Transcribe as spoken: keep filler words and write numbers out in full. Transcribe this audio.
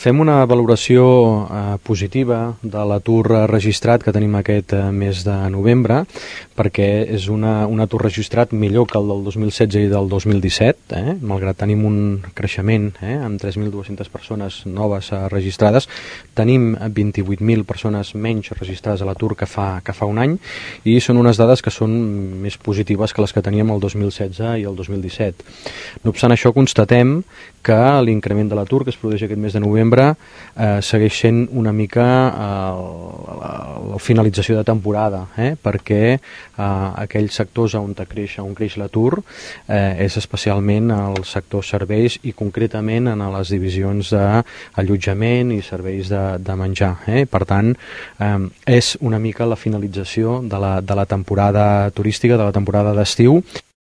fem una valoració eh, positiva de l'atur registrat que tenim aquest eh, mes de novembre, perquè és una, un atur registrat millor que el del dos mil setze i del dos mil disset, eh? Malgrat tenim un creixement eh, amb tres mil dues-centes persones noves eh, registrades, tenim vint-i-vuit mil persones menys registrades a l'atur que fa, que fa un any, i són unes dades que són més positives que les que teníem el dos mil setze i el dos mil disset. No obstant això, constatem que l'increment de l'atur que es produeix aquest mes de novembre eh, segueix sent una mica eh, la, la finalització de temporada, eh, perquè eh, aquells sectors on creix, on creix l'atur eh, és especialment el sector serveis i concretament en les divisions d'allotjament i serveis de, de menjar. Eh? Per tant, eh, és una mica la finalització de la, de la temporada turística, de la temporada d'estiu.